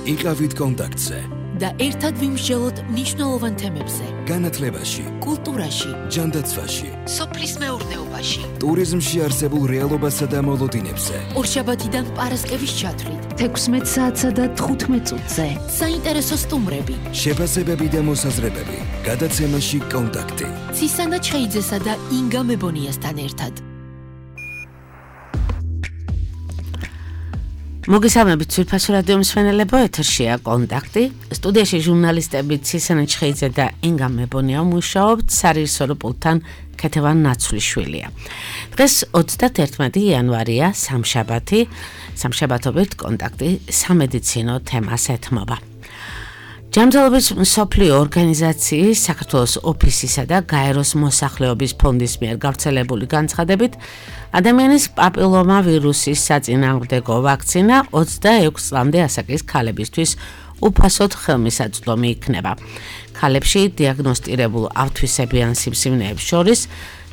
იყავით კონტაქტზე და ერთად ვიმსჯელოთ მნიშვნელოვან თემებზე. განათლებაში, კულტურაში, ჯანდაცვაში, სოფლის მეურნეობაში, ტურიზმში არსებულ რეალობასა და მოლოდინებზე. ორშაბათიდან პარასკევის ჩათვლით 16 საათსა და 15 წუთზე. საინტერესო სტუმრები, შეფასებები და მოსაზრებები. გადაცემაში კონტაქტი. ცისანა ჩხეიძესა და ინგა მებონიასთან ერთად. მოგესალმებით ძვირფასო რადიო მსმენელებო, ეთერშია კონტაქტი. სტუდიაში ჟურნალისტები ცისანა ჩხეიძე და ინგა მებონია მუშაობთ, სარეჟისორო პულტთან ქეთევან ნაცვლიშვილია. დღეს 31 იანვარია, სამშაბათი. სამშაბათობით კონტაქტი სამედიცინო თემას ეთმობა. ჯანმრთელობის მსოფლიო ორგანიზაციის საქართველოს ოფისისა და გაეროს მოსახლეობის ფონდის მიერ გავრცელებული განცხადებით, ადამიანის პაპილომა ვირუსის საწინააღმდეგო ვაქცინა 26 წლამდე ასაკის ქალებისთვის უფასოდ ხელმისაწვდომი იქნება. ქალებში დიაგნოსტირებულ ავთვისებიან სიმსივნეებს შორის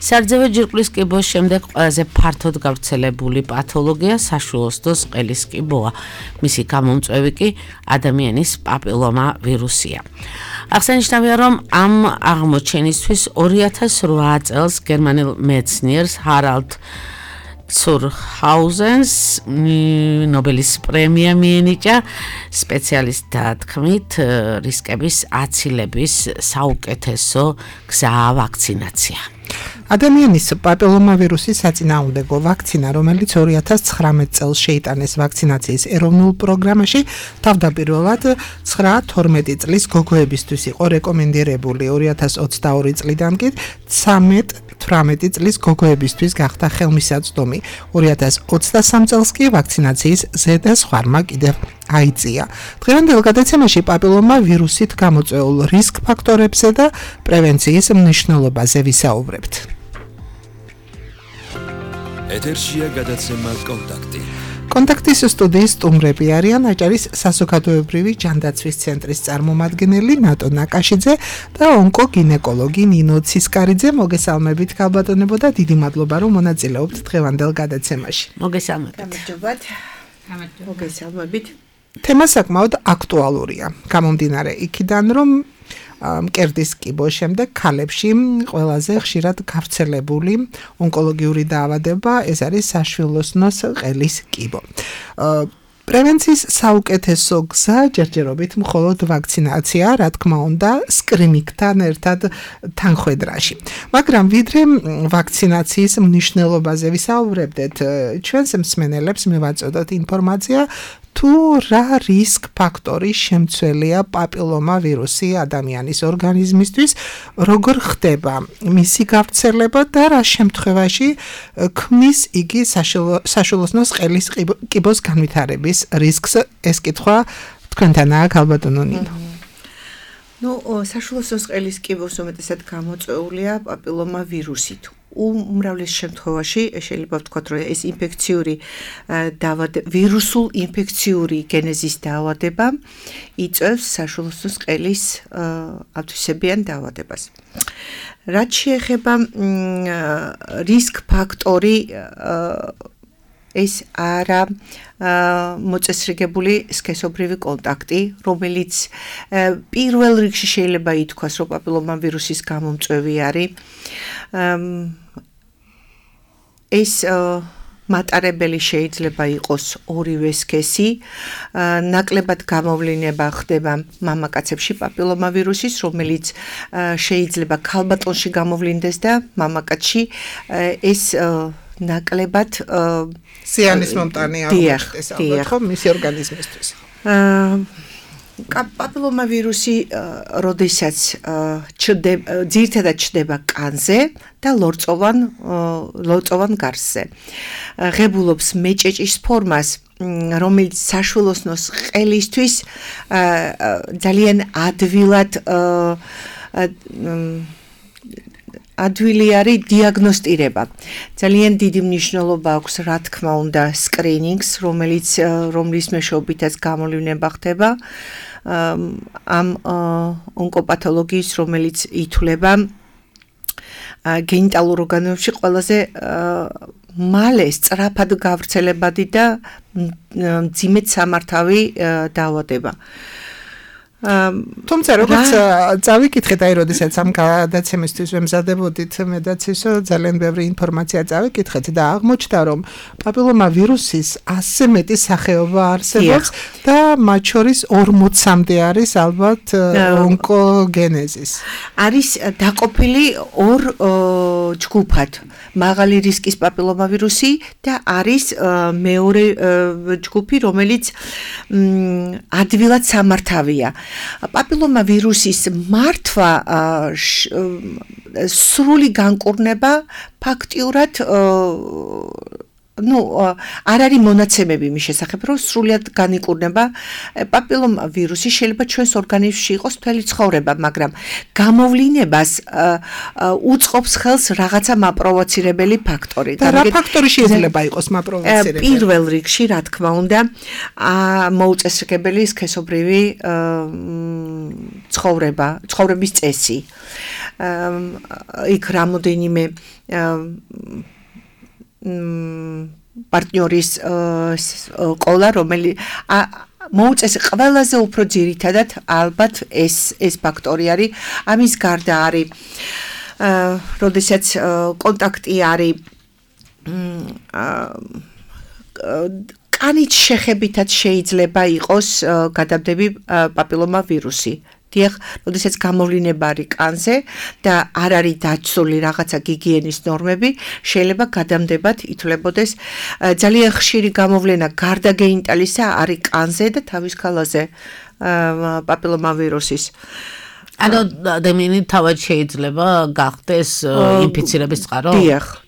სარძევე ჯირკვლის კიბოს შემდეგ ყველაზე ფართოდ გავრცელებული პათოლოგია საშვილოსნოს ყელის კიბოა. მისი გამომწვევი კი ადამიანის პაპილომა ვირუსია. აღსანიშნავია, რომ ამ აღმოჩენისთვის 2008 წელს გერმანელ მეცნიერს ჰარალდ ცურჰაუზენს ნობელის პრემია მიენიჭა სპეციალისტთა თქმით რისკების აცილების საუკეთესო გზაა ვაქცინაცია. ადამიანის პაპილომავირუსის საწინააღმდეგო ვაქცინა, რომელიც 2019 წელს შეიტანეს ვაქცინაციის ეროვნულ პროგრამაში, თავდაპირველად 9-12 წლის გოგოებისთვის იყო რეკომენდირებული. 2022 წლიდან კი 13-18 წლის გოგოებისთვის გახდა ხელმისაწვდომი. 2023 წელს კი ვაქცინაციის ზედაზღვარმა კიდევ აიწია. დღევანდელ გადაცემაში პაპილომა ვირუსით გამოწვეულ რისკ ფაქტორებზე და პრევენციის მნიშვნელობაზე ვისაუბრებთ. ეთერშია გადაცემა კონტაქტი. კონტაქტის სტუდიის სტუმრები არიან აჭარის საზოგადოებრივი ჯანდაცვის ცენტრის წარმომადგენელი ნატო ნაკაშიძე და ონკოგინეკოლოგი ნინო ცისკარიძე. მოგესალმებით ქალბატონებო და დიდი მადლობა რომ მონაწილეობთ დღევანდელ გადაცემაში. მოგესალმებით. მოგესალმებით. თემა საკმაოდ აქტუალურია. გამომდინარე იქიდან, რომ მკერდის კიბოს შემდეგ ქალებში ყველაზე ხშირად გავრცელებული ონკოლოგიური დაავადება ეს არის საშვილოსნოს ყელის კიბო. პრევენციის საუკეთესო გზა ჯერჯერობით მხოლოდ ვაქცინაცია, რა თქმა უნდა, სკრინინგთან ერთად თანხwebdriverში. მაგრამ ვიდრე ვაქცინაციის მნიშვნელობაზე ვისაუბრებდეთ, ჩვენს მსმენელებს მივაწოდოთ ინფორმაცია თუ რა რისკ ფაქტორი შემცველია პაპილომა ვირუსი ადამიანის ორგანიზმისთვის, როგორ ხდება მისი გავრცელება და რა შემთხვევაში ქმნის იგი საშვილოსნოს ყელის კიბოს განვითარების რისკს. ეს კითხვა თქვენთანაა ქალბატონო ნინო. საშვილოსნოს ყელის კიბოს უმეტესად გამოწვეულია პაპილომა ვირუსით. უმრავლეს შემთხვევაში შეიძლება ვთქვათ, რომ ეს ინფექციური ვირუსულ ინფექციური გენეზის დაავადება იწვევს საშვილოსნოს ყელის ავთვისებიან დაავადებას. რაც შეეხება რისკ ფაქტორი ეს არა მოწესრიგებული სქესობრივი კონტაქტი, რომელიც პირველ რიგში შეიძლება ითქვას, რომ პაპილომა ვირუსის გამომწვევი არის. ეს მატარებელი შეიძლება იყოს ორივე სქესი, ნაკლებად გამოვლინება ხდება მამაკაცებში პაპილომა ვირუსის, რომელიც შეიძლება ქალბატონში გამოვლინდეს და მამაკაცში ეს ნაკლებად სიანის მომტანი აღმოჩნდეს ალბათ ხო მისი ორგანიზმისთვის. პაპილომა ვირუსი როდესაც ძირითადად ჩნდება კანზე და ლორწოვან გარსზე. ღებულობს მეჭეჭის ფორმას, რომელიც საშვილოსნოს ყელისთვის ძალიან ადვილი არის დიაგნოსტირება. ძალიან დიდი მნიშვნელობა აქვს, რა თქმა უნდა, სკრინინგს, რომლის მეშვეობითაც გამოვლინება ხდება ამ ონკოპათოლოგიის, რომელიც ითვლება გენიტალურ ორგანოებში ყველაზე მალე სწრაფად გავრცელებადი და მძიმედ სამართავი დაავადება. თუმცა როგორც წავიკითხეთ აი როდესაც ამ გადაცემისთვის ვემზადებოდით მედაც ისო ძალიან ბევრი ინფორმაცია წავიკითხეთ და აღმოჩნდა რომ პაპილომა ვირუსის 100-ზე მეტი სახეობა არსებობს და მათ შორის 40-მდე არის ალბათ ონკოგენეზის. არის დაყოფილი ორ ჯგუფად. მაღალი რისკის პაპილომა ვირუსი და არის მეორე ჯგუფი რომელიც ადვილად სამართავია. პაპილომა ვირუსის მართვა სრული განკურნება ფაქტიურად არ არის მონაცემები მის შესახებ, რომ სრულად განიკურნება პაპილომა ვირუსი შეიძლება ჩვენს ორგანიზმში იყოს მთელი ცხოვრება, მაგრამ გამოვლინებას უწყობს ხელს რაღაცა მაპროვოცირებელი ფაქტორი. და რა ფაქტორი შეიძლება იყოს მაპროვოცირებელი? პირველ რიგში, რა თქმა უნდა, მოუწესრიგებელი სქესობრივი ცხოვრების წესი. იქ რამოდენიმე პარტნიორის ყოლა რომელიც მოუწეს ყველაზე უფრო ძირითადად ალბათ ეს ფაქტორი არის ამის გარდა არის როდესაც კონტაქტი არის კანით შეხებითაც შეიძლება იყოს გადამდები პაპილომა ვირუსი დიახ, როდესაც გამოვლინება არის კანზე და არ არის დაცული რაღაცა გიგიენის ნორმები, შეიძლება გადამდებად ითვლებოდეს ძალიან ხშირი გამოვლენა გარდა გენიტალისა არის კანზე და თავის ქალაზე პაპილომა ვირუსის. ანუ ადამიანი თავად შეიძლება გახდეს ინფიცირების წყარო?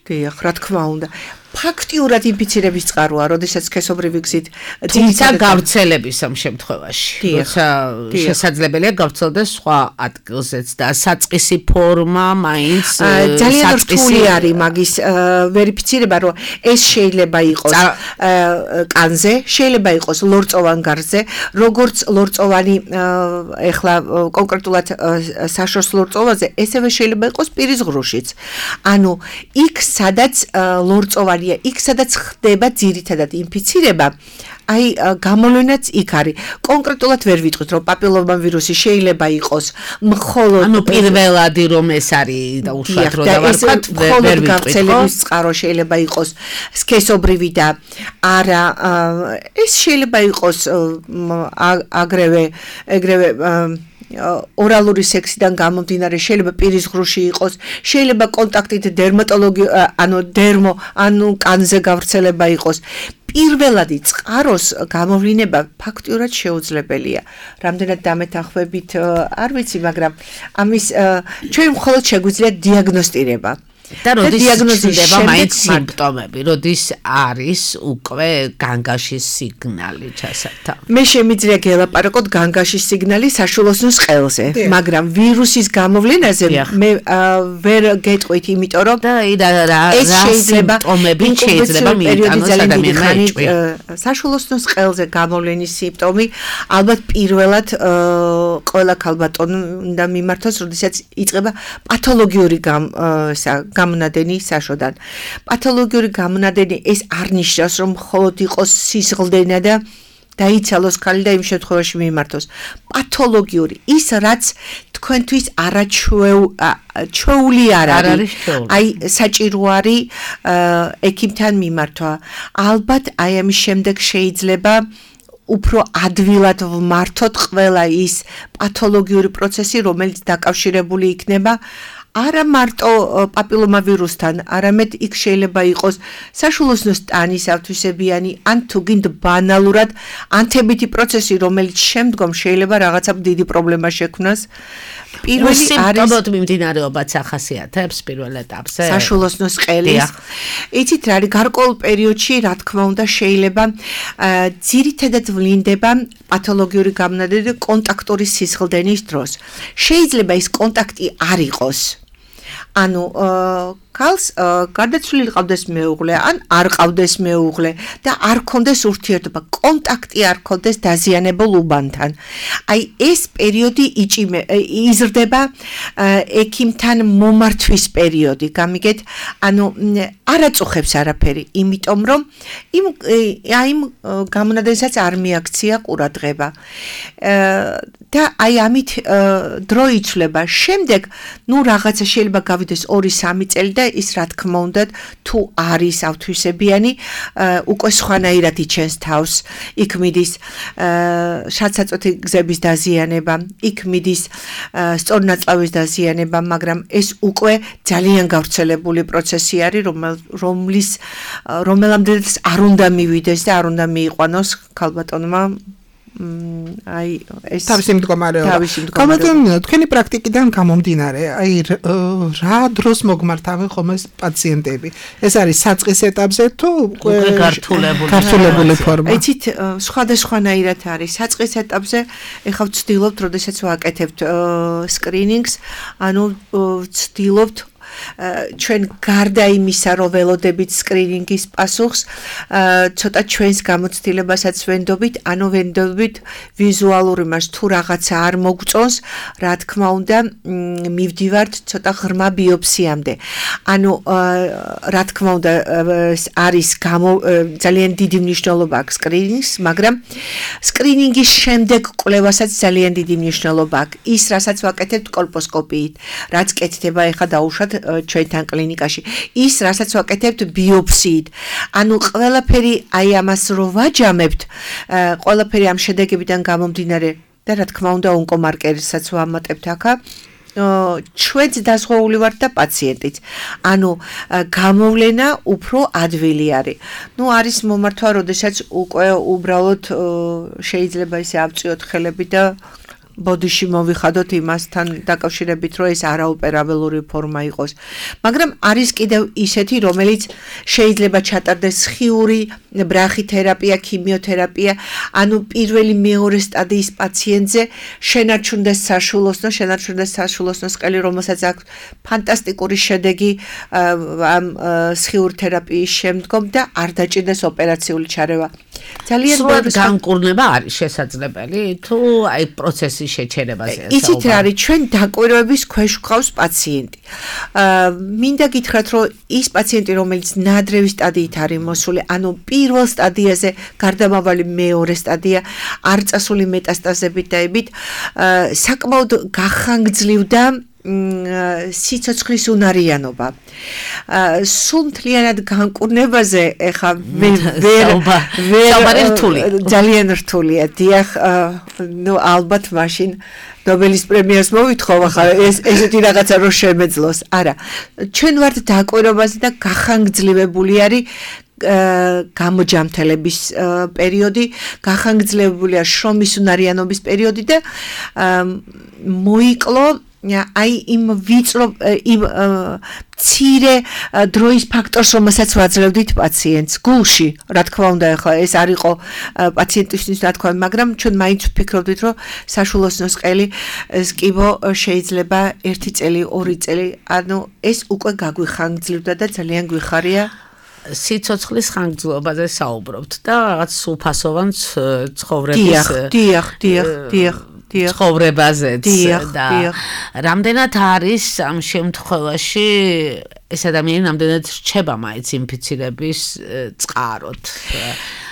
დიახ, რა თქმა უნდა. ფაქტიურად ინფიცირების წყაროა, როდესაც სქესობრივი გზით თუმცა გავრცელების ამ შემთხვევაში, როცა შესაძლებელია გავრცელდეს სხვა ადგილზეც და საწყისი ფორმა მაინც ძალიან რთული არის მაგის ვერიფიცირება, რომ ეს შეიძლება იყოს კანზე, შეიძლება იყოს ლორწოვან გარზე, როგორც ლორწოვანი ეხლა კონკრეტულად საშორს ლორწოვაზე, ესევე შეიძლება იყოს პირის ღრუშიც. ანუ იქ სადაც ლორწოვანი იქ სადაც ხდება ძირითადად ინფიცირება, აი გამოვლენაც იქ არის. კონკრეტულად ვერ ვიტყვით, რომ პაპილომა ვირუსი შეიძლება იყოს მხოლოდ ანუ პირველადი რომ ეს არის და უშუალოდ რომ დავარქვათ, ვერ ვიტყვით. გავრცელების წყარო შეიძლება იყოს სქესობრივი და არა ეს შეიძლება იყოს ეგრევე ორალური სექსიდან გამომდინარე შეიძლება პირის ღრუში იყოს, შეიძლება კონტაქტით დერმატოლოგი ანუ კანზე გავრცელება იყოს. პირველადი წყაროს გამოვლინება ფაქტიურად შეუძლებელია. რამდენად დამეთანხმებით არ ვიცი, მაგრამ ამის ჩვენ მხოლოდ შეგვიძლია დიაგნოსტირება. და როდის ჩნდება მაინც სიმპტომები, როდის არის უკვე განგაშის სიგნალი ჩასათა. მე შემიძლია გელაპარაკოთ განგაშის სიგნალი საშულოსნოს ყელზე, მაგრამ ვირუსის გამოვლენაზე მე ვერ გეტყვით, იმიტომ რომ ეს შეიძლება სიმპტომები შეიძლება მიიტანოს ადამიანმა ეჭვი. საშულოსნოს ყელზე გამოვლენის სიმპტომი ალბათ პირველად ყველა ქალბატონი უნდა მიმართოს, როდესაც იწყება პათოლოგიური გამონადენი საშოდან. პათოლოგიური გამონადენი ეს არ ნიშნავს, რომ მხოლოდ იყოს სისხლდენა და დაიცალოს ქალი და იმ შემთხვევაში მიმართოს. პათოლოგიური ის რაც თქვენთვის არაჩვეული არ არის. აი საჭირო არის ექიმთან მიმართვა. ალბათ აი ამის შემდეგ შეიძლება უფრო ადვილად ვმართოთ ყველა ის პათოლოგიური პროცესი, რომელიც დაკავშირებული იქნება არა მარტო პაპილომა ვირუსთან, არამედ იქ შეიძლება იყოს საშულოსნოს ტანის ავთვისებიანი, ან თუ გინდ ბანალურად ანთებითი პროცესი, რომელიც შემდგომ შეიძლება რაღაცა დიდი პრობლემა შექმნას. პირველი არის მიმდინარეობაც ახასიათებს პირველ ეტაპზე. საშულოსნოს ყელის. იცით რა არის გარკვეულ პერიოდში, რა თქმა უნდა, შეიძლება ძირითადად ვლინდება პათოლოგიური გამონადენი კონტაქტური სისხლდენის დროს. შეიძლება ის კონტაქტი არ იყოს. ანუ ქალს გარდაცვლილი ყავდეს მეუღლე ან არ ყავდეს მეუღლე და არ ქონდეს ურთიერთობა, კონტაქტი არ ქონდეს დაზიანებულ უბანთან. აი ეს პერიოდი იზრდება ექიმთან მომართვის პერიოდი, გამიგეთ? ანუ არ აწუხებს არაფერი, იმიტომ რომ იმ გამონადენსაც არ მიაქცია ყურადღება. და აი ამით დრო იცვლება. შემდეგ, რაღაცა შეიძლება გავიდეს 2-3 წელი და ის რა თქმა უნდა თუ არის ავთვისებიანი, უკვე სხვანაირად იჩენს თავს. იქ მიდის შადსაწვეთი გზების დაზიანება, იქ მიდის სწორნაწლავის დაზიანება, მაგრამ ეს უკვე ძალიან გავრცელებული პროცესი არის, რომელამდეც არ უნდა მივიდეს და არ უნდა მიიყვანოს ქალბატონმა აი ეს თავისი მდგომარეობა. გამოდიოდნენ თქვენი პრაქტიკიდან გამომდინარე, აი რა დროს მოგმართავენ ხოლმე პაციენტები? ეს არის საწყის ეტაპზე თუ უკვე გართულებული ფორმა? იცით, სხვადასხვანაირად არის. საწყის ეტაპზე ეხლა ვცდილობთ, როდესაც ვაკეთებთ სკრინინგს, ანუ ვცდილობთ ჩვენ გარდა იმისა, რომ ველოდებით სკრინინგის პასუხს, ცოტა ჩვენს გამოცდილებასაც ვენდობით, ანუ ვენდობით ვიზუალურ იმას, თუ რაღაცა არ მოგწონს, რა თქმა უნდა, მივდივართ ცოტა ღრმა ბიოპსიამდე. ანუ რა თქმა უნდა, არის ძალიან დიდი მნიშვნელობა აქვს სკრინინგს, მაგრამ სკრინინგის შემდეგ კვლევასაც ძალიან დიდი მნიშვნელობა აქვს. ის, რასაც ვაკეთებთ კოლპოსკოპიით, რაც კეთდება ეხლა დაუშვათ ჩვენთან კლინიკაში. ის, რასაც ვაკეთებთ ბიოპსიით. ანუ ყველაფერი აი ამას რო ვაჯამებთ, ყველაფერი ამ შედეგებიდან გამომდინარე და რა თქმა უნდა ონკომარკერსაც ვამატებთ აქა. ჩვენც დაზღვეული ვართ და პაციენტიც. ანუ გამოვლენა უფრო ადვილი არის. არის მომართვა, როდესაც უკვე უბრალოდ შეიძლება ისე ავწიოთ ხელები და ბოდიში მოვიხადოთ იმასთან დაკავშირებით, რომ ეს არაოპერაბელური ფორმა იყოს. მაგრამ არის კიდევ ისეთი, რომელიც შეიძლება ჩატარდეს სხიური ბრახითერაპია, ქიმიოთერაპია, ანუ პირველი მეორე სტადიის პაციენტზე შენარჩუნდეს საშვილოსნოს ყელი, რომელსაც აქვს ფანტასტიკური შედეგი ამ სხიურ თერაპიის შემდგომ და არ დაჭირდეს ოპერაციული ჩარევა. ძალიან სრულად განკურნება არის შესაძლებელი თუ აი პროცესი შეჩერებაზე იცით რა არის ჩვენ დაკვირვების ქვეშ გვყავს პაციენტი. მინდა გითხრათ რომ ის პაციენტი რომელიც ნადრევი სტადიით არის მოსული, ანუ პირველ სტადიაზე გარდამავალი მეორე სტადია, არ წასული მეტასტაზებით დაებით, საკმაოდ გახანგრძლივდა სიცოცხლის უნარიანობა. სულ მთლიანად განკურნებაზე ეხა ძალიან რთულია. დიახ, ალბათ მაშინ ნობელის პრემიას მოვითხოვ, ახლა ესეთი რაღაცა რო შემეძლოს. არა, ჩვენ ვართ დაკვირვებაზე და გახანგრძლივებული არის გამოჯამთელების პერიოდი, გახანგრძლივებულია შრომის უნარიანობის პერიოდი და მოიკლო აი იმ ვიწრო იმ მცირე დროის ფაქტორს, რომელსაც ვაძლევდით პაციენტს გულში, რა თქმა უნდა, ახლა ეს არ იყო პაციენტისთვის რა თქმა უნდა, მაგრამ ჩვენ მაინც ვფიქრობდით, რომ საშვილოსნოს ყელი სკიბო შეიძლება 1 წელი, 2 წელი, ანუ ეს უკვე გაგვიხანგრძლივდა და ძალიან გვიხარია. სიცოცხლის ხანგრძლივობაზე საუბრობთ და რაღაც სულფასოვან ცხოვრების დიახ ცხოვრებაზეც და რამდენად არის ამ შემთხვევაში ეს ადამიანი რამდენად რჩება მაინც ინფიცირების წყაროთ.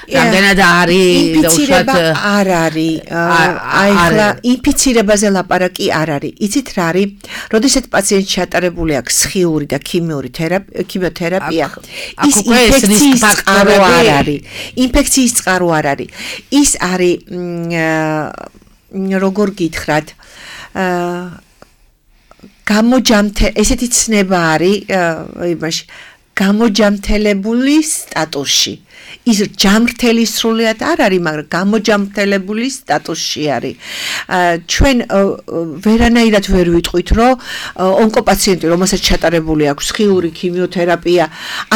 რამდენად არის ინფიცირება არ არის. აი ხლა ინფიცირებაზე ლაპარაკი არ არის. იცით რა არის? როდესაც პაციენტი ჩატარებული აქვს სხიური და ქიმიოთერაპია, ის ინფექციის წყარო არ არის. ინფექციის წყარო არ არის. ის არის როგორ გითხრათ, ესეთი ცნება არის იმაში, გამოჯამთელებული სტატუსში. ის ჯამრთელი სრულიად არ არის, მაგრამ გამოჯამრთელებული სტატუსში არის. ჩვენ ვერანაირად ვერ ვიტყვით, რომ ონკოპაციენტი, რომელსაც ჩატარებული აქვს სხიური ქიმიოთერაპია,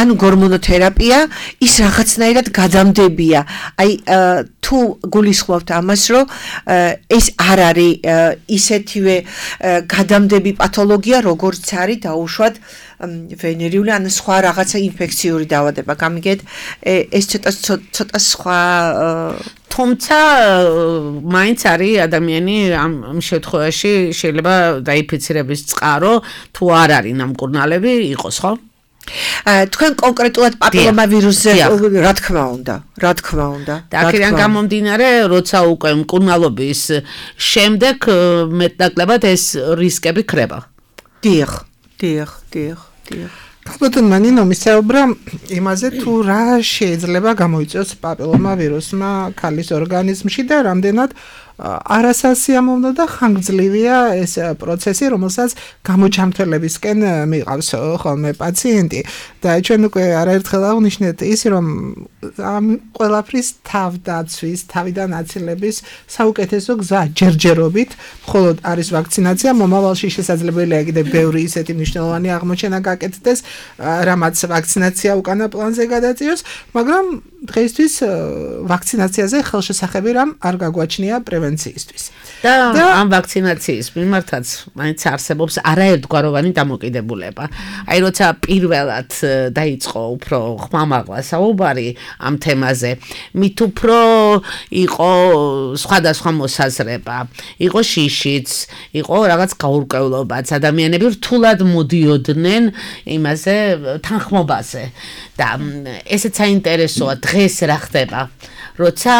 ანუ გორმონოთერაპია, ის რაღაცნაირად გადამდებია. აი თუ გულისხმობთ ამას, რომ ეს არ არის ისეთივე გადამდები პათოლოგია, როგორც არის დაუშვათ ვენერიული ან სხვა რაღაცა ინფექციური დაავადება გამიგეთ ეს ცოტა სხვა თუმცა მაინც არის ადამიანი ამ შემთხვევაში შეიძლება დაიფიცირების წყარო თუ არ არის ნამკურნალები იყოს ხო თქვენ კონკრეტულად პაპილომავირუსზე რა თქმა უნდა და აქედან გამომდინარე როცა უკვე მკურნალობის შემდეგ მეტნაკლებად ეს რისკები ქრება დიახ ბატონმა ნინო მისაუბრა იმაზე თუ რა შეიძლება გამოიწვიოს პაპილომავირუსმა ქალის ორგანიზმში და რამდენად არასასიამოვნო და ხანგრძლივია ეს პროცესი, რომელსაც გამოჯამთველებისკენ მიყავს ხოლმე პაციენტი. და ჩვენ უკვე არაერთხელ აღნიშნეთ ის, რომ ამ ყველაფრის თავდაცვის, თავიდან აცილების საუკეთესო გზა ჯერჯერობით, მხოლოდ არის ვაქცინაცია, მომავალში შესაძლებელია კიდევ ბევრი ისეთი მნიშვნელოვანი აღმოჩენა გაკეთდეს, რამაც ვაქცინაცია უკანა პლანზე გადაწიოს, მაგრამ დღეისთვის ვაქცინაციაზე ხელშესახები რამ არ გაგვაჩნია პრევენციისთვის. და ამ ვაქცინაციის მიმართაც მაინც არსებობს არაერთგვაროვანი დამოკიდებულება. აი როცა პირველად დაიწყო უფრო ხმამაღლა საუბარი ამ თემაზე, მით უფრო იყო სხვადასხვა მოსაზრება, იყო შიშიც, იყო რაღაც გაურკვევლობაც, ადამიანები რთულად მოდიოდნენ იმაზე თანხმობაზე. და ესეც საინტერესოა დღეს რა ხდება. როცა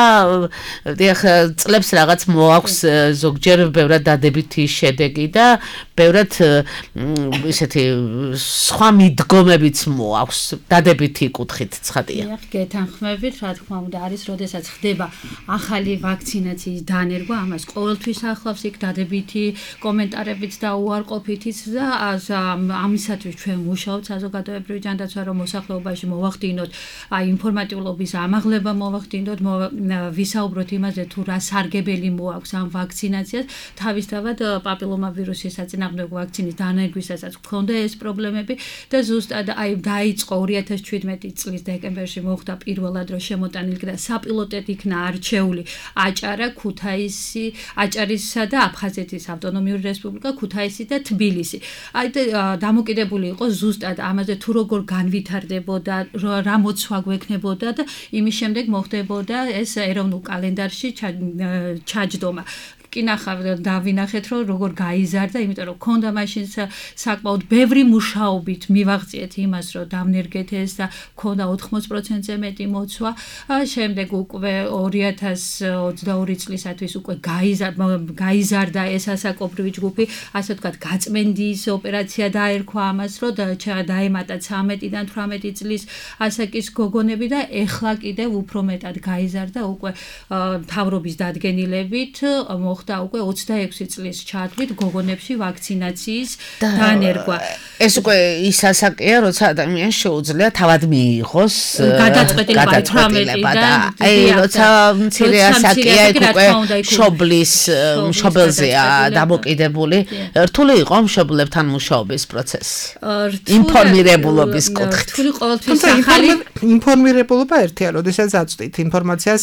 წლებს რაღაც მოაქვს ზოგჯერ ბევრად დადებითი შედეგი და ბევრად ისეთი სხვა მიდგომებიც მოაქვს დადებითი კუთხით ცხადია. გეთანხმებით, რა თქმა უნდა, არის, როდესაც ხდება ახალი ვაქცინაციის დანერგვა, ამას ყოველთვის ახლავს იქ დადებითი კომენტარებით და უარყოფითიც და ამისათვის ჩვენ მუშაობთ საზოგადოებრივი ჯანდაცვა, რომ მოსახლეობაში მოვახდინოთ აი ინფორმატიულობის ამაღლება მოვახდინოთ ვისაუბროთ იმაზე თუ რა სარგებელი მოაქვს ამ ვაქცინაციას თავისთავად პაპილომავირუსის საწინააღმდეგო ვაქცინის დანერგვისასაც გქონდა ეს პრობლემები და ზუსტად აი დაიწყო 2017 წლის დეკემბერში მოხდა პირველად რომ შემოტანილი და საპილოტეთ იქნა არჩეული აჭარა, ქუთაისი, აჭარისა და აფხაზეთის ავტონომიური რესპუბლიკა, ქუთაისი და თბილისი. აი დამოკიდებული იყო ზუსტად ამაზე თუ როგორ განვითარდებოდა, რა მოცვა გვექნებოდა და იმის შემდეგ მოხდებოდა ეს ეროვნულ კალენდარში ჩაჯდომა. კი დავინახეთ რომ როგორ გაიზარდა, იმიტომ რომ ქონდა მაშინ საკმაოდ ბევრი მუშაობით მივაღწიეთ იმას, რომ დავნერგეთ ეს და ქონდა 80%-ზე მეტი მოცვა. შემდეგ უკვე 2022 წლისათვის უკვე გაიზარდა ეს ასაკობრივი ჯგუფი, ასე ვთქვათ, გაწმენდის ოპერაცია დაერქვა ამას, რომ დაემატა 13-დან 18 წლის ასაკის გოგონები და ეხლა კიდევ უფრო მეტად გაიზარდა უკვე მთავრობის დადგენილებით მოხდა უკვე 26 წლის ჩათვლით გოგონებში ვაქცინაციის დანერგვა. ეს უკვე ის ასაკია, როცა ადამიანს შეუძლია თავად მიიღოს გადაწყვეტილება და აი როცა მცირე ასაკია, უკვე მშობელზეა დამოკიდებული. რთული იყო მშობლებთან მუშაობის პროცესი. ინფორმირებულობის კუთხით. რთული ყოველთვის ახალი ინფორმირებულობა ერთია, როდესაც აწვდით ინფორმაციას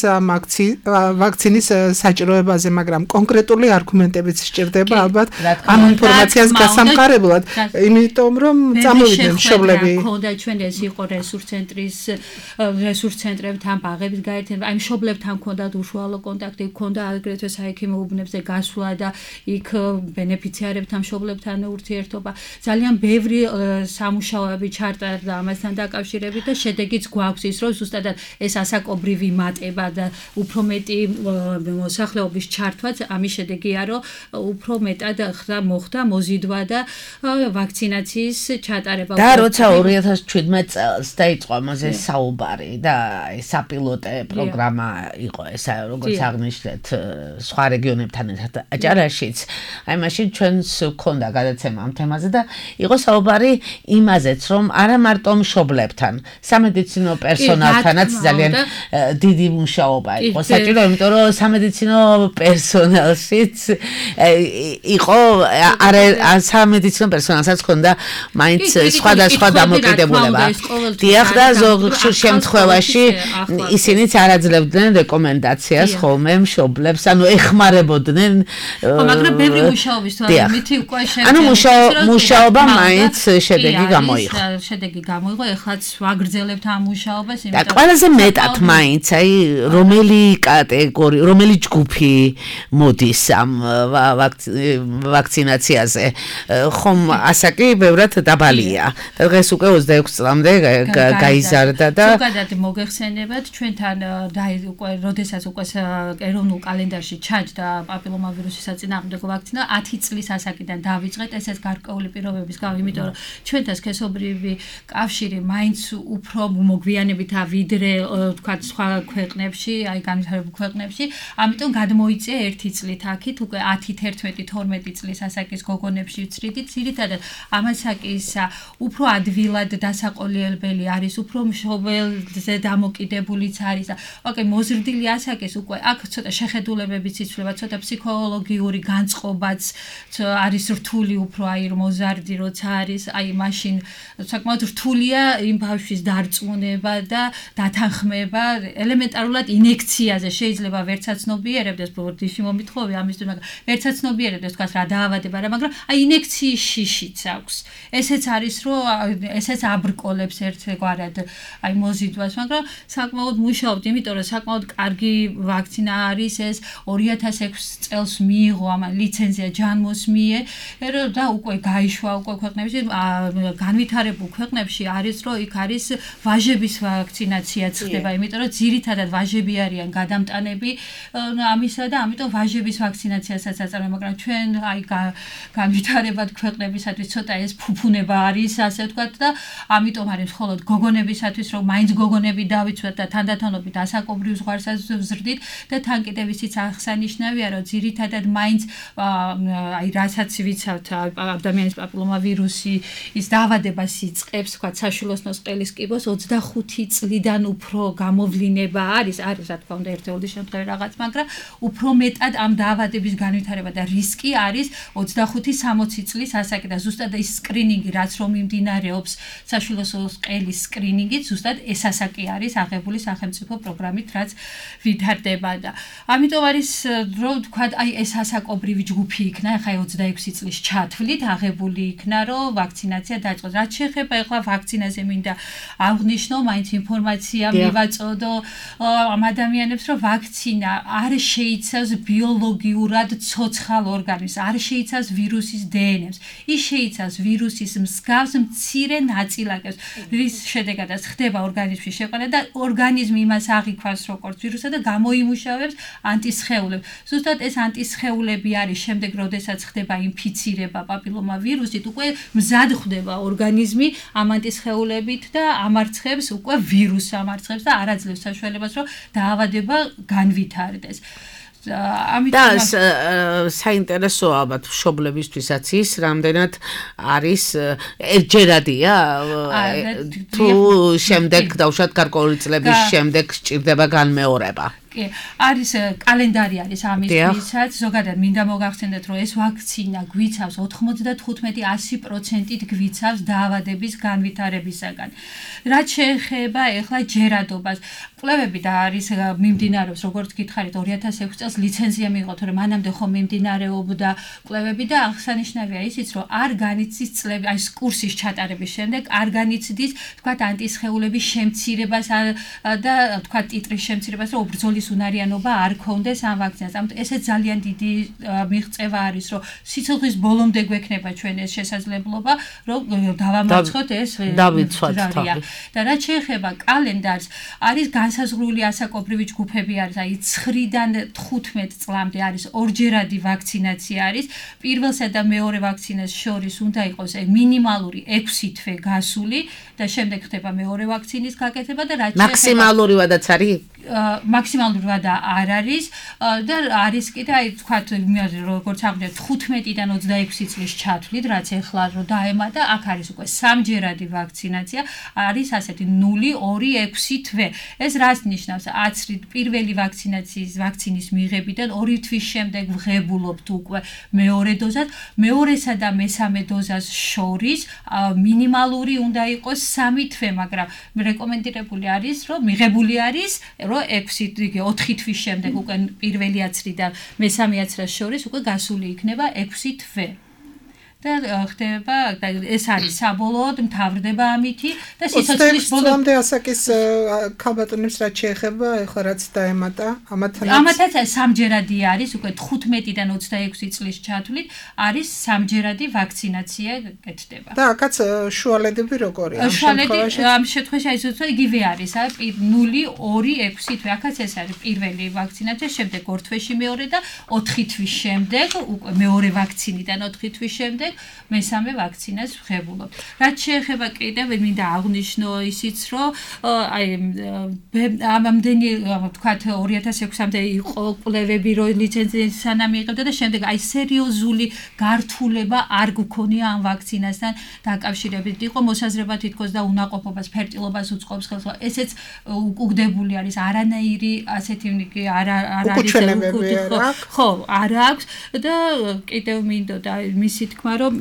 ვაქცინის საჭიროებაზე, მაგრამ კონკრეტული არგუმენტებიც სჭირდება ალბათ ამ ინფორმაციას გასამყარებლად, იმიტომ რომ წამოვიდნენ მშობლები. ქონდა ჩვენ ეს იყო რესურს ცენტრებთან, ბაღებით გაერთიანება, აი მშობლებთან ქონდათ უშუალო კონტაქტი, ქონდა აგრეთვე საექიმო უბნებზე გასვლა და იქ ბენეფიციარებთან, მშობლებთან ურთიერთობა. ძალიან ბევრი სამუშაოები ჩატარდა ამასთან დაკავშირებით და შედეგიც გვაქვს ის, რომ ზუსტად ეს ასაკობრივი მატება და უფრო მეტი მოსახლეობის ჩართვაც ამის შედეგია, რომ უფრო მეტად მოხდა მოზიდვა და ვაქცინაციის ჩატარება. და როცა 2017 წელს დაიწყო ამაზე საუბარი და საპილოტე პროგრამა იყო ეს, როგორც აღნიშნეთ, სხვა რეგიონებთან ერთად აჭარაშიც, აი მაშინ ჩვენს გქონდა გადაცემა ამ თემაზე და იყო საუბარი იმაზეც, რომ არა მარტო მშობლებთან, სამედიცინო პერსონალთანაც ძალიან დიდი მუშაობა იყო საჭირო, იმიტომ რომ სამედიცინო პერსონალი სპეციალშიც იყო სამედიცინო პერსონალსაც ჰქონდა მაინც სხვადასხვა დამოკიდებულება. დიახ და ზოგ შემთხვევაში ისინიც არ აძლევდნენ რეკომენდაციას ხოლმე მშობლებს, ანუ ეხმარებოდნენ. მაგრამ ბევრი მუშაობის თვალსაზრისით უკვე ანუ მუშაობა მაინც შედეგი გამოიღო. შედეგი გამოიღო, ეხლაც ვაგრძელებთ ამ მუშაობას, და ყველაზე მეტად მაინც აი რომელი კატეგორია, რომელი ჯგუფი მოდის ამ ვაქცინაციაზე. ხომ ასაკი ბევრად დაბალია. დღეს უკვე 26 წლამდე გაიზარდა და ზოგადად მოგეხსენებათ ჩვენთან უკვე როდესაც უკვე ეროვნულ კალენდარში ჩაჯდა პაპილომავირუსის საწინააღმდეგო ვაქცინა 10 წლის ასაკიდან დავიწყეთ ესეც გარკვეული პირობების გამო, იმიტომ რომ ჩვენთან სქესობრივი კავშირი მაინც უფრო მოგვიანებითა ვიდრე თქვა სხვა ქვეყნებში, აი განვითარებულ ქვეყნებში, ამიტომ გადმოიწია 1 წლით აქით უკვე 10, 11, 12 წლის ასაკის გოგონებში ვცრიდით, ძირითადად ამ ასაკის უფრო ადვილად დასაყოლიებელი არის, უფრო მშობელზე დამოკიდებულიც არის და ოკეი, მოზრდილი ასაკის უკვე აქ ცოტა შეხედულებებიც იცვლება, ცოტა ფსიქოლოგიური განწყობაც არის რთული უფრო აი მოზარდი როცა არის, აი მაშინ საკმაოდ რთულია იმ ბავშვის დარწმუნება და დათანხმება, ელემენტარულად ინექციაზე შეიძლება ვერცაცნობიერებდეს, ბორდიში მომითხოვე ამისთვის, მაგრამ ვერცაცნობიერებდეს თქვა რა დაავადება რა, მაგრამ აი ინექციის შიშიც აქვს. ესეც არის რომ ესეც აბრკოლებს ერთგვარად აი მოზიდვას, მაგრამ საკმაოდ მუშაობთ, იმიტომ რომ საკმაოდ კარგი ვაქცინა არის ეს 2006 წელს მიიღო ამ ლიცენზია ჯანმოს მიერ და უკვე გაიშვა უკვე ქვეყნებში, განვითარებულ ქვეყნებში არის რომ იქ არის ვაჟების ვაქცინაციაც ხდება, იმიტომ რომ ძირითადად ვაჟები არიან გადამტანები ამისა და ამიტომ ვაჟების ვაქცინაციასაც აწარმოებენ, მაგრამ ჩვენ აი განვითარებად ქვეყნებისათვის ცოტა ეს ფუფუნება არის, ასე ვთქვათ და ამიტომ არის მხოლოდ გოგონებისათვის რომ მაინც გოგონები დავიცვათ და თანდათანობით ასაკობრივ ზღვარსაც ვზრდით და თან კიდევ ისიც აღსანიშნავია რომ ძირითადად მაინც აი რასაც ვიცავთ ადამიანის პაპილომავირუსი ის დაავადებას იწყებს, ვთქვათ, საშვილოსნოს ყელის კიბოს 25 წლიდან უფრო გამოვლინება არის რა თქმა უნდა ერთეული შემთხვევა რაღაც, მაგრამ უფრო მეტად ამ დაავადების განვითარება და რისკი არის 25-60 წლის ასაკი და ზუსტად ის სკრინინგი რაც რომ მიმდინარეობს საშვილოსნოს ყელის სკრინინგით ზუსტად ეს ასაკი არის აღებული სახელმწიფო პროგრამით რაც ვითარდება და ამიტომ არის რომ ვთქვათ აი ეს ასაკობრივი ჯგუფი იქნა, ახლა 26 წლის ჩათვლით აღებული იქნა რომ ვაქცინაცია დაიწყოს. რაც შეეხება ახლა ვაქცინაზე მინდა აღვნიშნო, მაინც ინფორმაცია მივაწოდო ამ ადამიანებს რომ ვაქცინა არ შეიცავს ბიოლოგიურად ცოცხალ ორგანიზმს, არ შეიცავს ვირუსის დნმ-ს. ის შეიცავს ვირუსის მსგავს მცირე ნაწილაკებს, რის შედეგადაც ხდება ორგანიზმში შეყვანა და ორგანიზმი იმას აღიქვას როგორც ვირუსა და გამოიმუშავებს ანტისხეულებს. ზუსტად ეს ანტისხეულები არის შემდეგ, როდესაც ხდება ინფიცირება პაპილომავირუსით, უკვე მზად ხდება ორგანიზმი ამ ანტისხეულებით და ამარცხებს უკვე ვირუსს ამარცხებს და არ აძლევს საშუალებას რომ დაავადება განვითარდეს. და საინტერესოა ალბათ მშობლებისთვისაც ის რამდენად არის ერთჯერადია თუ შემდეგ დავუშვათ გარკვეული წლების შემდეგ სჭირდება განმეორება. არის კალენდარი არის ამისთვისაც, ზოგადად მინდა მოგახსენდეთ რომ ეს ვაქცინა გვიცავს 95-100%-ით გვიცავს დაავადების განვითარებისაგან. რაც შეეხება ახლა ჯერადობას, კვლევები და არის მიმდინარეობს, როგორც გითხარით 2006 წელს ლიცენზია მიიღო, თორემ მანამდე ხომ მიმდინარეობდა კვლევები და აღსანიშნავია ისიც, რომ არ განიცდის წლები, აი კურსის ჩატარების შემდეგ არ განიცდის, თქვათ, ანტისხეულების შემცირებას და თქვათ, ტიტრის შემცირებას, რომ უბრძოლის უნარიანობა არ ქონდეს ამ ვაქცინას. ამიტომ ესე ძალიან დიდი მიღწევა არის, რომ სიცოცხლის ბოლომდე გვექნება ჩვენ ეს შესაძლებლობა, რომ დავამარცხოთ ეს დავიცვათ. და რაც შეეხება კალენდარს, არის განსაზღვრული ასაკობრივი ჯგუფები არის, აი 9-დან 15 წლამდე არის ორჯერადი ვაქცინაცია არის. პირველსა და მეორე ვაქცინას შორის უნდა იყოს მინიმალური 6 თვე გასული და შემდეგ ხდება მეორე ვაქცინის გაკეთება და რაც მაქსიმალურივადაც არის მაქსიმალური ვადა არ არის და არის კიდე აი თქვათ როგორც აღვნიშნეთ 15-დან 26 წლის ჩათვლით რაც ეხლა რო დაემატა აქ არის უკვე სამჯერადი ვაქცინაცია არის ასეთი 0-2-6 თვე ეს რას ნიშნავს აცრით პირველი ვაქცინის მიღებიდან 2 თვის შემდეგ ვღებულობთ უკვე მეორე დოზას მეორესა და მესამე დოზას შორის მინიმალური უნდა იყოს 3 თვე მაგრამ რეკომენდირებული არის რომ მიღებული არის რომ 4 თვის შემდეგ უკვე პირველი აცრი და მესამე აცრას შორის უკვე გასული იქნება 6 თვე და ხდება და ეს არის საბოლოოდ მთავრდება ამითი და სიცოცხლის ბოლომდე ასაკის ქალბატონებს რაც შეეხება ეხლა რაც დაემატა ამათაც სამჯერადი არის უკვე 15-დან 26 წლის ჩათვლით არის სამჯერადი ვაქცინაცია კეთდება და აქაც შუალედები როგორია ამ შემთხვევაში აი ზუსტად იგივე არის 0-2-6 თვე აქაც ეს არის პირველი ვაქცინაცია შემდეგ 2 თვეში მეორე და 4 თვის შემდეგ უკვე მეორე ვაქცინიდან 4 თვის შემდეგ მესამე ვაქცინას ვღებულობ. რაც შეეხება კიდევ მინდა აღვნიშნო ისიც რომ აი ამდენი ვთქვათ 2006-მდე იყო კვლევები რომ ლიცენზიის სანამ მიიღებდა და შემდეგ აი სერიოზული გართულება არ გქონია ამ ვაქცინასთან დაკავშირებით. იყო მოსაზრება თითქოს და უნაყოფობას, ფერტილობას უწყობს ხელს. ესეც უკუგდებული არის არანაირი ასეთი არ არის ხო არ აქვს და კიდევ მინდოდა მისი თქმა რომ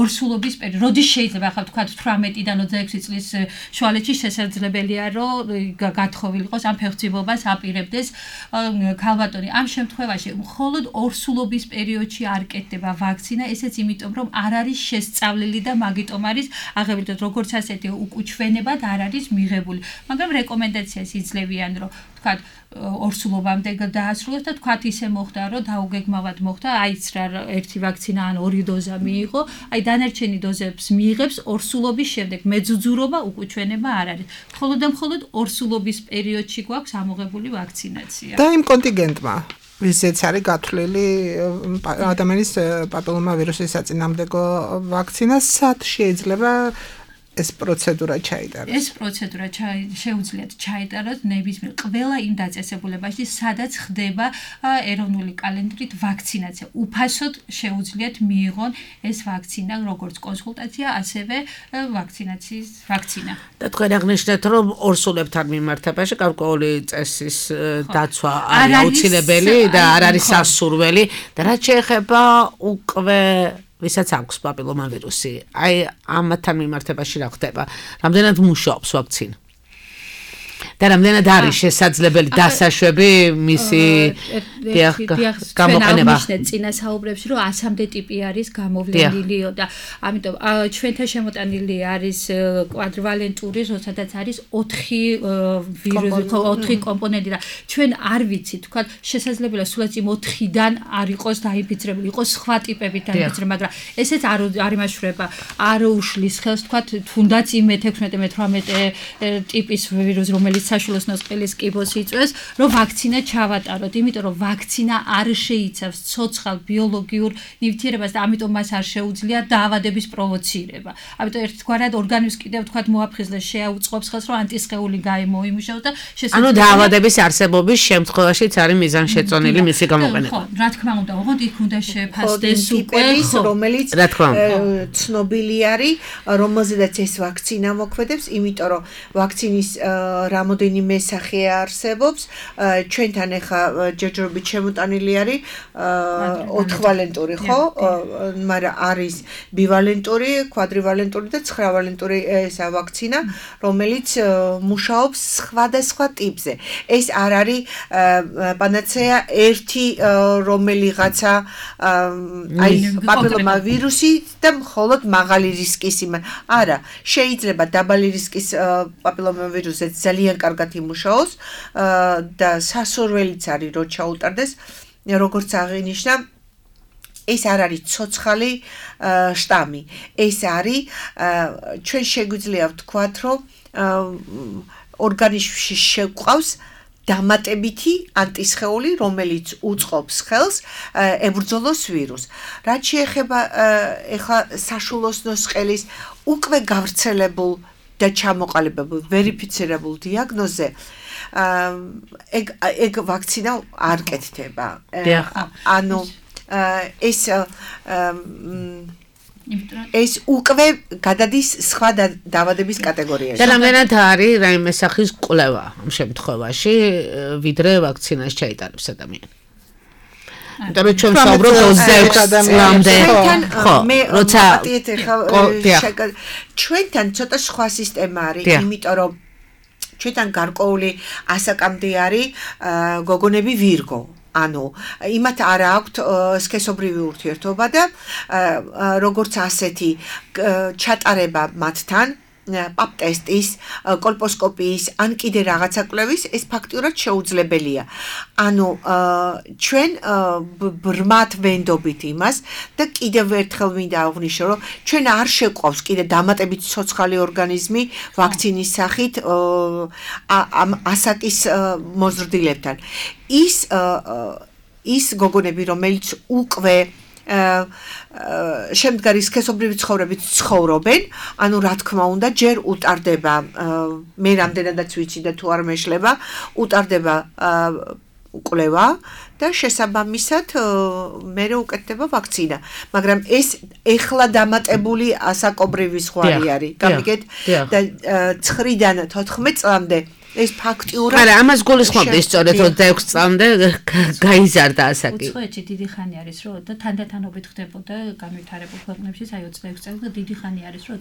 ორსულობის პერიოდი როდის შეიძლება ახლა თქვა 18-დან 26 წლის შუალედში შესაძლებელია რომ გათხოვილიყოს ამ ფეხმძიმობას აპირებდეს ქალბატონი ამ შემთხვევაში მხოლოდ ორსულობის პერიოდში არ კეთდება ვაქცინა ესეც იმიტომ რომ არ არის შესწავლილი და მაგიტომ არის აღებითად როგორც ასეთი უკუჩვენებად არ არის მიღებული მაგრამ რეკომენდაციას იძლევიან რომ თქვა ორსულობამდე დაასრულოს და თქვა ისე მოხდა რომ დაუგეგმავად მოხდა აიც რა ერთი ვაქცინა ან 2 დოზა მიიღო აი დანარჩენი დოზებს მიიღებს ორსულობის შემდეგ მეძუძურობა უკუჩვენება არ არის მხოლოდ და მხოლოდ ორსულობის პერიოდში გვაქვს ამოღებული ვაქცინაცია და იმ კონტინგენტმა ვისაც არის გათვლილი ადამიანის პაპილომავირუსის საწინააღმდეგო ვაქცინა სად შეიძლება ეს პროცედურა ჩაიტაროს. ეს პროცედურა შეუძლიათ ჩაიტაროს ნებისმიერ ყველა იმ დაწესებულებაში, სადაც ხდება ეროვნული კალენდრით ვაქცინაცია. უფასოდ შეუძლიათ მიიღონ ეს ვაქცინა, როგორც კონსულტაცია, ასევე ვაქცინაციის ვაქცინა. და თქვენ აღნიშნეთ, რომ ორსულებთან მიმართებაში გარკვეული წესის დაცვა არის აუცილებელი და არ არის სასურველი და რაც შეეხება უკვე ვისაც აქვს პაპილომავირუსი. აი ამათთან მიმართებაში რა ხდება? რამდენად მუშაობს ვაქცინა? და რამდენად არის შესაძლებელი დასაშვები მისი გამოყენება? წინა საუბრებში რომ 100-მდე ტიპი არის გამოვლენილიო და ამიტომ ჩვენთან შემოტანილი არის კვადრივალენტური, როდესაც არის 4 ვირუსი, 4 კომპონენტი და ჩვენ არ ვიცით, თქვა შესაძლებელია სულაც იმ 4-დან არ იყოს დაინფიცირებული, იყოს სხვა ტიპებით დაინფიცირებული, მაგრამ ესეც არ იმაშვრება, არ უშლის ხელს, თქვა თუნდაც იმ 16-18 ტიპის ვირუსი რომელიც საშვილოს ნოსყელის კიბოს იწვევს, რომ ვაქცინა ჩავატაროთ, იმიტომ რომ ვაქცინა არ შეიცავს ცოცხალ ბიოლოგიურ ნივთიერებას და ამიტომ მას არ შეუძლია დაავადების პროვოცირება. ამიტომ ერთგვარად ორგანიზმს კიდევ თქვათ მოაფხიზლეს შეაუწყობს ხელს, რომ ანტისხეული გამოიმუშაოს და ანუ დაავადების არსებობის შემთხვევაშიც არის მიზანშეწონილი მისი გამოყენება. ხო, რა თქმა უნდა, ოღონდ იქ უნდა შეფასდეს უკვე, რომელიც ცნობილი არის, რომელზედაც ეს ვაქცინა მოქმედებს, იმიტომ რომ ვაქცინის რამოდენიმე სახე არსებობს. ჩვენთან ახლა ჯერჯერობით შემოტანილი არის 4ვალენტური, ხო? მაგრამ არის ბივალენტური, კვადრივალენტური და 9ვალენტური ესა ვაქცინა, რომელიც მუშაობს სხვადასხვა ტიპზე. ეს არ არის პანაცეა ერთი რომელიღაცა აი პაპილომავირუსი და მხოლოდ მაღალი რისკის არა, შეიძლება დაბალი რისკის პაპილომავირუსზე ძალიან კარგად იმუშაოს და სასურველიც არის რომ ჩაუტარდეს როგორც აღინიშნა ეს არ არის ცოცხალი შტამი ეს არის ჩვენ შეგვიძლია ვთქვათ რომ ორგანიზმში შეგვყავს დამატებითი ანტისხეული რომელიც უწყობს ხელს ებრძოლოს ვირუსს რაც შეეხება ეხლა საშვილოს ნოსყელის უკვე გავრცელებულ და ჩამოყალიბებულ ვერიფიცირებულ დიაგნოზზე ეგ ვაქცინა არ კეთდება. ანუ ეს უკვე გადადის სხვა დაავადების კატეგორიაში. და რამდენად არის რაიმე სახის კვლევა ამ შემთხვევაში, ვიდრე ვაქცინას ჩაიტარებს ადამიანი. იმიტომ რომ ჩვენ ვსაუბრობთ 26 წლამდე. ხო, როცა ჩვენთან ცოტა სხვა სისტემა არის, იმიტომ რომ ჩვენთან გარკვეული ასაკამდე არის გოგონები ვირგო. ანუ იმათ არ აქვთ სქესობრივი ურთიერთობა და როგორც ასეთი ჩატარება მათთან პაპ ტესტის, კოლპოსკოპიის ან კიდე რაღაცა კვლევის ეს ფაქტიურად შეუძლებელია. ანუ ჩვენ ბრმად ვენდობით იმას და კიდევ ერთხელ მინდა აღვნიშნო, რომ ჩვენ არ შეყვავს კიდე დამატებით ცოცხალი ორგანიზმი ვაქცინის სახით ამ ასაკის მოზრდილებთან. ის გოგონები, რომელიც უკვე შემდგარი სქესობრივი ცხოვრებით ცხოვრობენ, ანუ რა თქმა უნდა, ჯერ უტარდება, მე რამდენადაც ვიცი და თუ არ მეშლება, უტარდება კვლევა და შესაბამისად მე უკეთდება ვაქცინა. მაგრამ ეს ეხლა დამატებული ასაკობრივი ზღვარი არის. გამიგეთ და 9-დან 14 წლამდე ეს ფაქტიურად არა, ამას გულისხმობდი სწორედ 26 წლამდე გაიზარდა ასაკი. უცხოეთში დიდი ხანი არის, რომ და თანდათანობით ხდებოდა განვითარებულ ქვეყნებში, აი 26 წელი და დიდი ხანი არის, რომ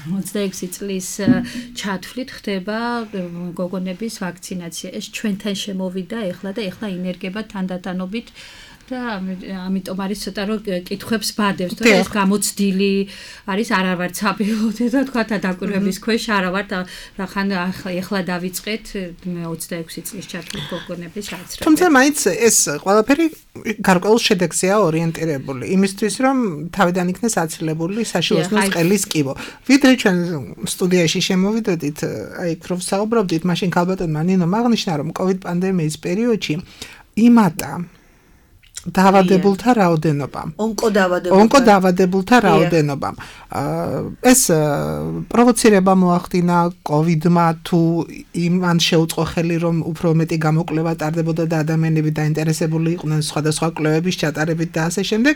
26 წლის ჩათვლით ხდება გოგონების ვაქცინაცია. ეს ჩვენთან შემოვიდა ეხლა და ეხლა ინერგება თანდათანობით და ამიტომ არის ცოტა რომ კითხვებს ბადებს, თორე ეს გამოცდილი არის, არა ვარ ცაბილოდი და თქვა დაკვირვების ქვეშ არა ვარ და ხან ეხლა დავიწყეთ 26 წლის ჩათვლით გოგონების გაცრება. თუმცა მაინც ეს ყველაფერი გარკვეულ შედეგზეა ორიენტირებული, იმისთვის რომ თავიდან იქნეს აცილებული საშუალო ყელის კიბო. ვიდრე ჩვენ სტუდიაში შემოვიდოდით, აი ქროვ საუბრობდით, მაშინ ქალბატონმა ნინომ აღნიშნა, რომ COVID პანდემიის პერიოდში იმატა დაავადებულთა რაოდენობა. ონკოდაავადებულთა რაოდენობა. ეს პროვოცირება მოახდინა COVID-მა თუ იმან შეუწყო ხელი რომ უფრო მეტი გამოკვლევა ტარდებოდა და ადამიანები დაინტერესებული იყვნენ სხვადასხვა კვლევების ჩატარებით და ასე შემდეგ,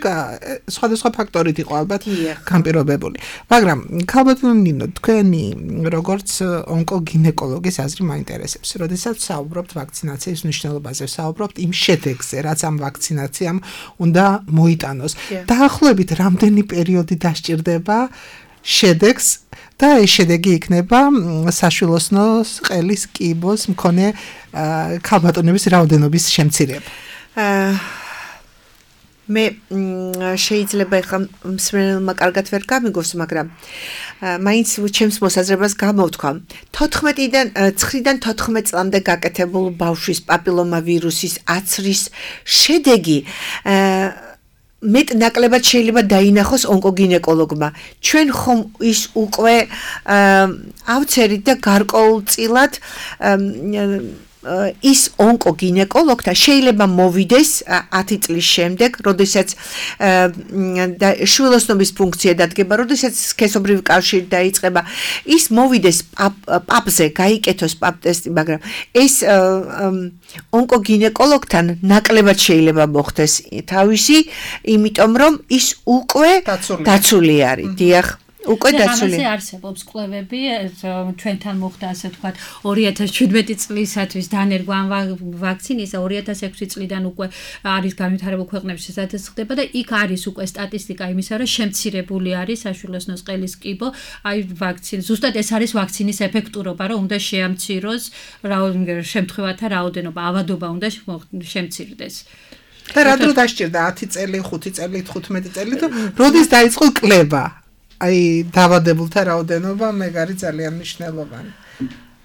სხვადასხვა ფაქტორით იყო ალბათ განპირობებული. მაგრამ ქალბატონო ნინო, თქვენი როგორც ონკოგინეკოლოგის აზრი მაინტერესებს. როდესაც საუბრობთ ვაქცინაციის მნიშვნელობაზე, საუბრობთ იმ შედეგზე, რაც ამ ვაქცინაციამ უნდა მოიტანოს. დაახლოებით რამდენი პერიოდი დასჭირდება შედეგს და ეს შედეგი იქნება საშვილოსნოს ყელის კიბოს მქონე ქალბატონების რაოდენობის შემცირება. მე შეიძლება ახლა მსმენელმა კარგად ვერ გამიგოს, მაგრამ მაინც ჩემს მოსაზრებას გამოვთქვა. 9-დან 14 წლამდე გაკეთებულ ბავშვის პაპილომავირუსის აცრის შედეგი მეტ-ნაკლებად შეიძლება დაინახოს ონკოგინეკოლოგმა. ჩვენ ხომ ის უკვე ავცერით და გარკვეულწილად ის ონკოგინეკოლოგთა შეიძლება მოვიდეს 10 წლის შემდეგ, როდესაც შვილოსნობის ფუნქცია დადგება, როდესაც სქესობრივი კავშირი დაიწყება, ის მოვიდეს პაპზე, გაიკეთოს პაპ ტესტი, მაგრამ ეს ონკოგინეკოლოგთან ნაკლებად შეიძლება მოხდეს თავისი, იმიტომ რომ ის უკვე დაცული არის. დიახ. უკვე დაცული. ამაზე არსებობს კვლევები, ჩვენთან მოხდა ასე ვთქვათ 2017 წლისათვის დანერგვა ამ ვაქცინის და 2006 წლიდან უკვე არის განვითარებულ ქვეყნებში სადაც ხდება და იქ არის უკვე სტატისტიკა იმისა, რომ შემცირებული არის საშვილოსნოს ყელის კიბო, აი ვაქცინის. ზუსტად ეს არის ვაქცინის ეფექტურობა, რომ უნდა შეამციროს შემთხვევათა რაოდენობა, ავადობა უნდა შემცირდეს. და რა დრო დასჭირდა 10 წელი, 5 წელი, 15 წელი და როდის დაიწყო კვლევა? აი დაავადებულთა რაოდენობა მეგარი ძალიან მნიშვნელოვანი.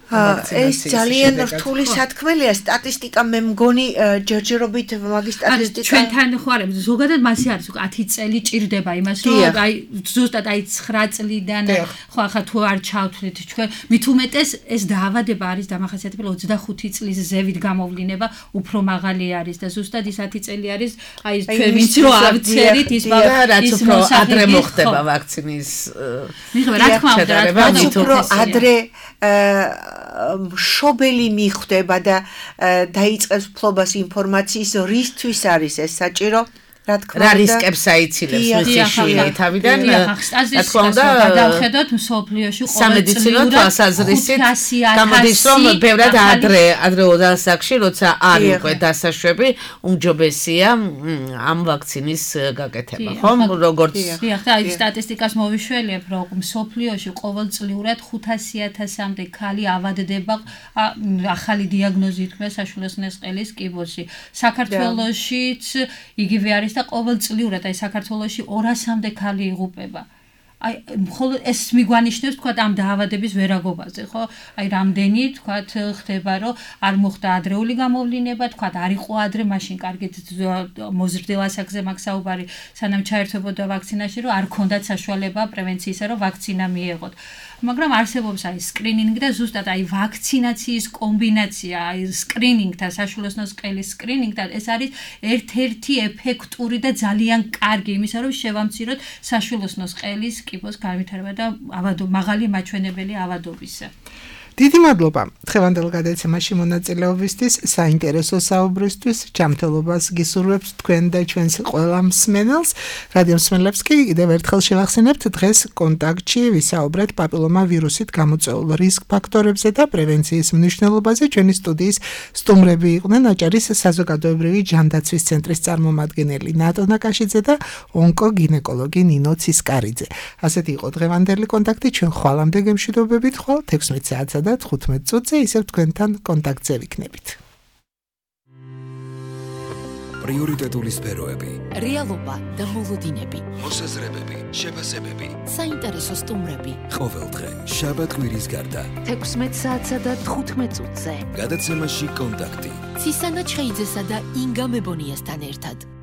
ეს ძალიან რთული სათქმელია, სტატისტიკა მე მგონი ჯერჯერობით მაგის სტატისტიკა ჩვენთან ხო არა, ზოგადად მასე არის 10 წელი ჭირდება იმას, რომ აი ზუსტად აი 9 წლიდან ხო ახლა თუ არ ჩავთვლით ჩვენ, მით უმეტეს ეს დაავადება არის დამახასიათებელი 25 წლის ზევით გამოვლინება უფრო მაღალი არის და ზუსტად ის 10 წელი არის აი ჩვენ ვინც რო ავცერით ის რაც უფრო ადრე მოხდება ვაქცინის მიღება, რა თქმა უნდა, უფრო ადრე მშობელი მიხვდება და დაიწყებს ფლობას ინფორმაციის რისთვის არის ეს საჭირო რა თქმა უნდა რა რისკებს აიცილებს მისი შვილი თავიდან რა თქმა უნდა გადავხედოთ მსოფლიოში სამედიცინო თვალსაზრისით გამოდის რომ ბევრად ადრეულ ასაკში როცა არ უკვე დასაშვები უმჯობესია ამ ვაქცინის გაკეთება ხომ როგორც და აი სტატისტიკას მოვიშველიებ რომ მსოფლიოში ყოველწლიურად 500,000-მდე ქალი ავადდება ახალი დიაგნოზით მე საშვილოსნოს ყელის კიბოში საქართველოშიც იგივე არის და ყოველწლიურად აი საქართველოში 200-მდე ქალი იღუპება. აი მხოლოდ ეს მიგვანიშნებს თქვა ამ დაავადების ვერაგობაზე, ხო? აი რამდენი თქვა ხდება, რომ არ მოხდა ადრეული გამოვლინება, თქვა არ იყო ადრე, მაშინ კარგით მოზრდილ ასაკზე მაგ საუბარი, სანამ ჩაერთვებოდა ვაქცინაში, რომ არ ქონდათ საშუალება პრევენციისა, რომ ვაქცინა მიეღოთ. მაგრამ არსებობს აი სკრინინგი და ზუსტად აი ვაქცინაციის კომბინაცია, აი სკრინინგთან, საშვილოსნოს ყელის სკრინინგთან, ეს არის ერთ-ერთი ეფექტური და ძალიან კარგი იმისა, რომ შევამციროთ საშვილოსნოს ყელის კიბოს განვითარება და მაღალი მაჩვენებელი ავადობისა. დიდი მადლობა დღევანდელ გადაცემაში მონაწილეობისთვის, საინტერესო საუბრისთვის, ჯანმრთელობას გისურვებთ თქვენ და ჩვენს ყველა მსმენელს. რადიო მსმენელებს კი კიდევ ერთხელ შევახსენებთ, დღეს კონტაქტში ვისაუბრეთ პაპილომა ვირუსით გამოწვეულ რისკ ფაქტორებზე და პრევენციის მნიშვნელობაზე. ჩვენი სტუდიის სტუმრები იყვნენ აჭარის საზოგადოებრივი ჯანდაცვის ცენტრის წარმომადგენელი ნატო ნაკაშიძე და ონკოგინეკოლოგი ნინო ცისკარიძე. ასეთი იყო დღევანდელი კონტაქტი, ჩვენ ხვალამდე გემშვიდობებით ხვალ 16 საათსა და 15 წუთზე ისევ თქვენთან კონტაქტზე ვიქნებით. პრიორიტეტული სფეროები, რეალობა და მოლოდინები, მოსაზრებები, შეფასებები, საინტერესო სტუმრები. ყოველდღე შაბათ-კვირის გარდა 16 საათსა და 15 წუთზე. გადაცემაში კონტაქტი. ცისანა ჩხეიძესა და ინგა მებონიასთან ერთად.